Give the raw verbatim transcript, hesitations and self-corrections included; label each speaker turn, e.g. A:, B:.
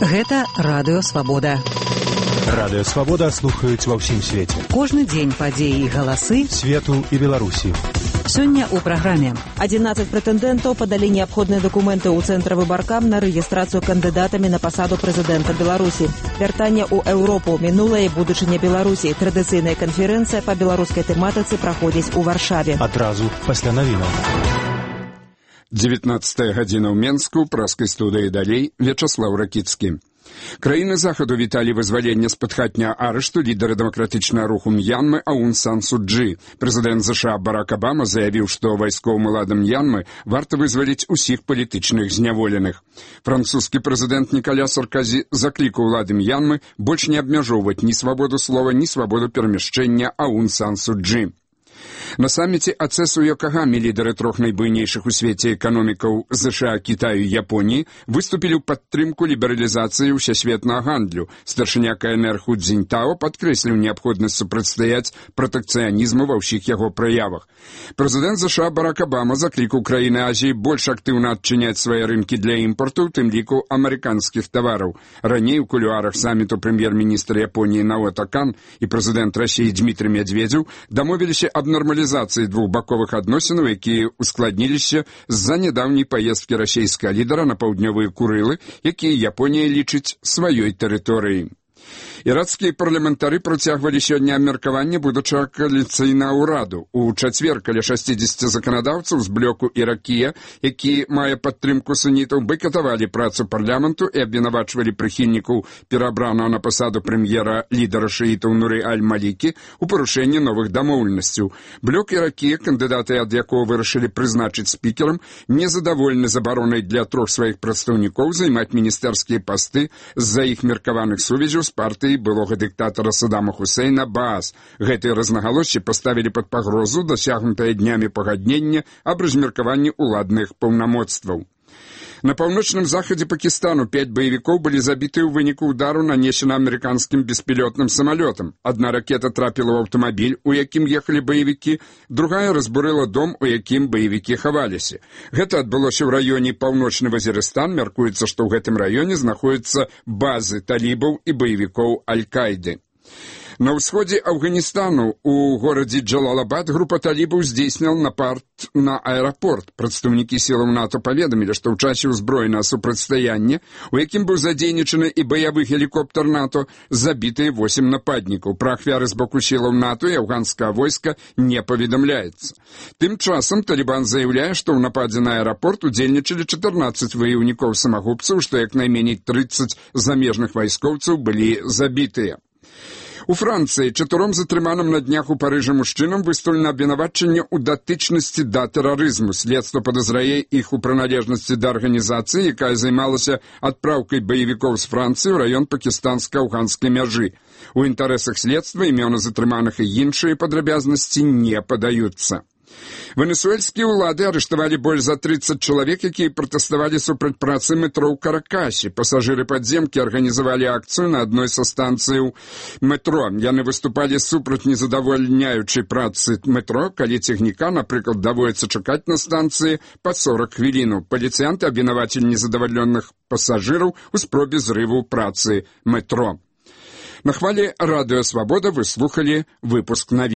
A: Гэта Радыё Свабода.
B: Радыё Свабода слухаюць ва ўсім свеце.
A: Кожны дзень падзеі і галасы
B: свету і Беларусі.
A: Сёння ў праграме.
C: адзінаццаць прэтэндэнтаў падалі неабходныя дакументы ў цэнтр выбаркам на рэгістрацыю кандыдатамі на пасаду прэзідэнта Беларусі. Вяртанне ў Еўропу, мінулае і будучыня Беларусі. Традыцыйная канферэнцыя па беларускай тэматыцы праходзіць у Варшаве.
B: Адразу пасля навінаў.
D: дзевятнаццатая гадзіна ў Менску, праскай студыі далей, Вячаслаў Ракіцкі. Краіны Захаду віталі вызваленне з-пад хатняга арышту лідара дэмакратычнага руху М'янмы Аун Сан Су Чжы. Прэзідэнт ЗША Барак Абама заявіў, што вайсковым уладам М'янмы варта вызваліць усіх палітычных зняволеных. Французскі прэзідэнт Ніколя Сарказі заклікаў улады М'янмы больш не абмяжоўваць ні свабоду слова, ні свабоду перамяшчэння Аун Сан Су Чжы. На саміце АЦЭС у Йокагаме лідары трох найбуйнейшых у свеце эканомікаў ЗША, Кітаю і Японіі выступілі ў падтрымку лібералізацыі ўсесветнага гандлю. Старшыня КНР Ху Цзіньтао падкрэсліў неабходнасць супрацьстаяць пратэкцыянізму ва ўсіх яго праявах. Прэзідэнт ЗША Барак Абама заклікаў краіны Азіі больш актыўна адчыняць свае рынкі для імпарту, у тым ліку амерыканскіх тавараў. Раней у кулуарах саміту прэм'ер-міністр Японіі Наото Кан і прэзідэнт Расіі Дмітрый Медведзеў дамовіліся аб нормалізацыі двухбаковых адносінаў, якія ускладніліся з-за нядаўняй паездкі расійскага лідара на паўднёвыя Курылы, якія Японія лічыць сваёй тэрыторыяй. Іракскія парламентары працягвалі сёння абмеркаванне будучага кааліцыйнага ўраду. У чацвер каля шасцідзесяці заканадаўцаў з блоку Іракія, які мае падтрымку сунітаў, байкатавалі працу парламенту і абвінавачвалі прыхільнікаў перабранага на пасаду прэм'ера лідара шыітаў Нуры Аль-Малікі у парушэнні новых дамоўленасцяў. Блок Іракія, кандыдаты ад якога вырашылі прызначыць спікерам, незадаволены забаронай для трох сваіх прадстаўнікоў займаць міністэрскія пасты з-за іх меркаваных сувязяў з партыяй былога дыктатара Саддама Хусейна Баас. Гэтыя рознагалоссі паставілі пад пагрозу дасягнутае днямі пагаднення аб размеркаванні ўладных паўнамоцтваў. На паўночным захадзе Пакістану пяць баевікоў былі забіты ў выніку ўдару, нанесена амерыканскім беспілётным самалётам. Адна ракета трапіла ў аўтамабіль, у якім ехалі баевікі, другая разбурыла дом, у якім баевікі хаваліся. Гэта адбылося ў раёне Паўночны Вазірыстан. Мяркуецца, што ў гэтым раёне знаходзяцца базы талібаў і баевікоў Аль-Каіды. На ўсходзе Афганістану у горадзе Джалалабад група талібаў здзейсніла напад на аэрапорт. Прадстаўнікі сілаў НАТО паведамілі, што ў часе ўзброенага супрацьстаяння, у якім быў задзейнічаны і баявы гелікоптер НАТО, забітыя восем нападнікаў. Пра ахвяры з боку сілаў НАТО і афганскага войска не паведамляецца. Тым часам Талібан заяўляе, што ў нападзе на аэрапорт удзельнічалі чатырнаццаць ваяўнікоў-самагубцаў, што як найменей трыццаць замежных вайскоўцаў былі забітыя. У Францыі чатыром затрыманым на днях у Парыжы мужчынам выстаўлена абвінавачанне ў датычнасці да тэрарызму. Следства падазрае іх у прыналежнасці да арганізацыі, якая займалася адпраўкай баевікоў з Францыі ў раён пакістанска-афганскай мяжы. У інтарэсах следства імёны затрыманых і іншыя падрабязнасці не падаюцца. Венесуэльскія ўлады арыштавалі больш за трыццаць чалавек, якія пратэставалі супраць працы метро ў Каракасе. Пасажыры падземкі арганізавалі акцыю на адной са станцыяў метро. Яны выступалі супраць незадавальняючай працы метро, калі цягніка, напрыклад, даводіцца чакаць на станцыі па сорак хвілінаў. Паліцыянты абвінавацілі незадавальнёных пасажыраў у спробе зрыву працы метро. На хвалі Радыё Свабода вы слухалі выпуск навін.